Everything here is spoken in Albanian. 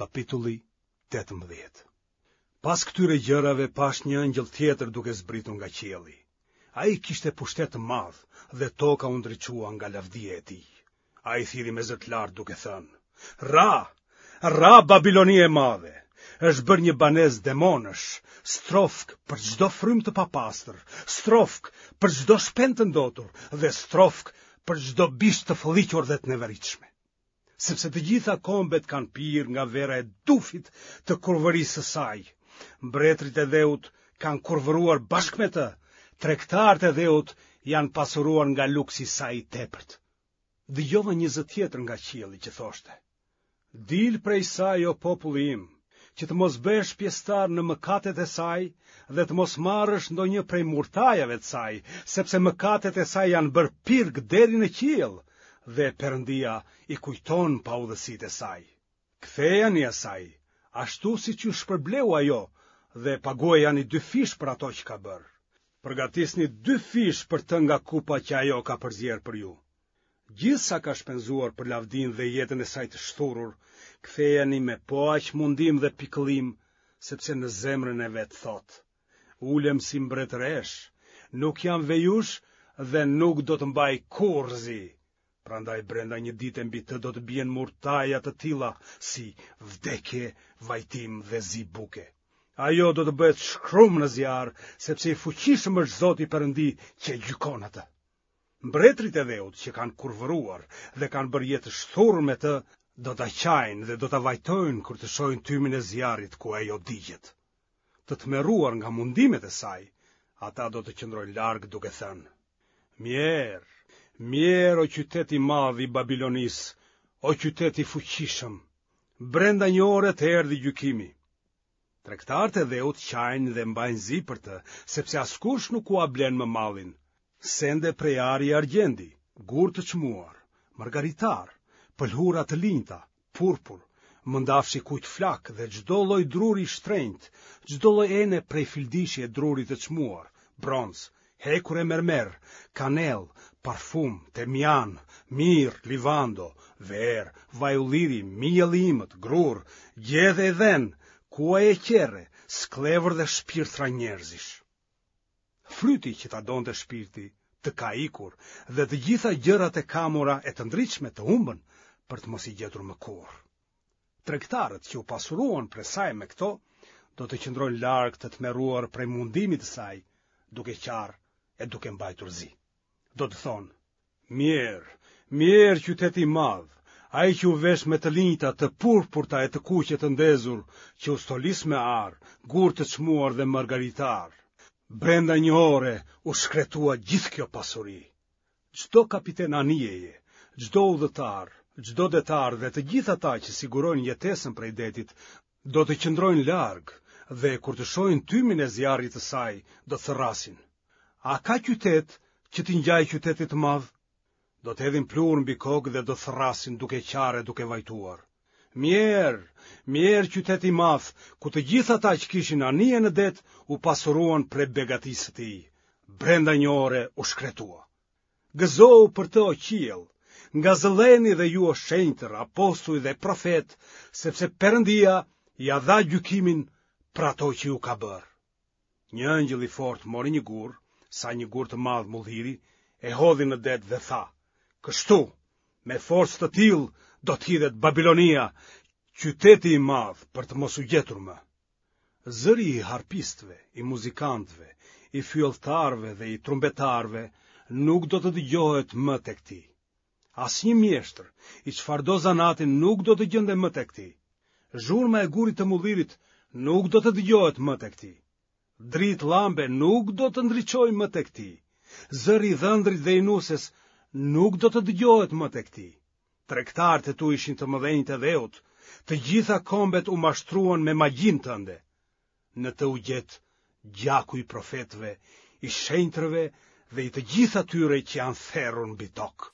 Kapitulli 18 Pas këtyre gjërave pashë një engjëll tjetër duke zbritur nga qielli. Ai kishte pushtet të madh dhe toka u ndriçua nga lavdia e tij. Ai thirri me zë të lartë duke thënë: Ra, ra Babilonia e madhe, është bërë një banesë demonësh, strofkë për çdo frymë të papastër, strofkë për çdo shpend të ndotur dhe strofkë për çdo bisht të fëlliqur dhe të neveritshme. Sepse të gjitha kombet kanë pirë nga vera e dufit të kurvërisë së saj. Mbretërit e dheut kanë kurvëruar bashkë me të, tregtarët e dheut janë pasuruar nga luksi i saj i tepërt. Dëgjova një zë tjetër nga qielli që thoshte: Dil prej saj o populli im, që të mos bëhesh pjesëtar në mëkatet e saj dhe të mos marrësh ndonjë prej murtajave të saj, sepse mëkatet e saj janë bërë pirg deri në qiell dhe Perëndia i kujton paudhësitë e saj. Kthejani asaj, ashtu siç ju shpërbleu ajo dhe paguajani dyfish për ato që ka bërë. Përgatisni dyfish për të nga kupa që ajo ka përzier për ju. Gjithë sa ka shpenzuar për lavdinë dhe jetën e saj të shthurur, kthejani me po aq mundim dhe pikëllim, sepse në zemrën e vet thotë: Ulem si mbretëreshë, nuk jam vejushë dhe nuk do të mbaj kurrë zi. Prandaj brenda një dite mbi të do të bien murtaja të tilla si vdekje, vajtim dhe zi buke. Ajo do të bëhet shkrum në zjarr, sepse i fuqishëm është Zoti Perëndi që e gjykon atë. Mbretërit e dheut që kanë kurvëruar dhe kanë bërë jetë të shthurur me të, do ta qajnë dhe do ta vajtojnë kur të shohin tymin e zjarrit ku ajo digjet. Të tmerruar nga mundimet e saj, ata do të qëndrojnë larg duke thënë: Mjerë, mjerë o qytet i madh i Babilonisë, o qytet i fuqishëm. Brenda një ore të erdhi gjykimi. Tregtarët e dheut qajnë dhe mbajnë zi për të, sepse askush nuk ua blen më mallin. Sende prej ari e argjendi, gurë të çmuar, margaritarë, pëlhura të linjta, purpur, mëndafsh i kuq flakë dhe çdo lloj druri i shtrenjtë, çdo lloj ene prej fildishi e druri të çmuar, bronz, hekur e mermer, kanellë, parfum, temjan, mirë, livando, verë, vaj ulliri, miell i imët, grurë, gjedhe e dhen, kuaj e qerre, skllevër dhe shpirtra njerëzish. Fryti që ta donte shpirti të ka ikur dhe të gjitha gjërat e kamura e të ndritshme të humbën për të mos i gjetur më kurrë. Tregtarët që u pasuruan prej saj me këto, do të qëndrojnë larg të tmerruar prej mundimit të saj, duke qarë e duke mbajtur zi. Do të thonë, mjerë, mjerë qyteti i madh, ai që u vesh me të linjta të purpurta e të kuqe të ndezur, që u stolis me ar, gurë të çmuar dhe margaritarë. Brenda një ore u shkretua gjithë kjo pasuri. Çdo kapiten anijeje, çdo udhëtar, çdo detar dhe të gjithë ata që sigurojnë jetesën prej detit, do të qëndrojnë larg dhe kur të shohin tymin e zjarrit të saj, do të thërrasin. A ka qytet që t'i ngjajë qytetit të madh? Do të hedhin pluhur mbi kokë dhe do të thërrasin duke qarë e duke vajtuar. Mjerë, mjerë qyteti i madh, ku të gjithë ata që kishin anije në det u pasuruan prej begatisë së tij. Brenda një ore u shkretua. Gëzohu për të o qiell, ngazëlleheni dhe ju o shenjtër, apostuj dhe profetë, sepse Perëndia ia dha gjykimin për ato që ju ka bërë. Një engjëll i fortë mori një gur, sa një gur të madh mulliri, e hodhi në det dhe tha: Kështu, me forcë të tillë do të hidhet Babilonia, qyteti i madh për të mos u gjetur më. Zëri i harpistëve, i muzikantëve, i fyelltarëve dhe i trumbetarëve nuk do të dëgjohet më tek ti. Asnjë mjeshtër i çfarëdo zanati nuk do të gjendet më tek ti. Zhurma e gurit të mullirit nuk do të dëgjohet më tek ti. Dritë llambe nuk do të ndriçojë më tek ti. Zëri i dhëndrit dhe i nuses nuk do të dëgjohet më tek ti. Tregtarët e tu ishin të mëdhenjtë e dheut, të gjitha kombet u mashtruan me magjinë tënde. Në të u gjet gjaku i profetëve, i shenjtërve dhe i të gjithë atyre që janë therur mbi tokë.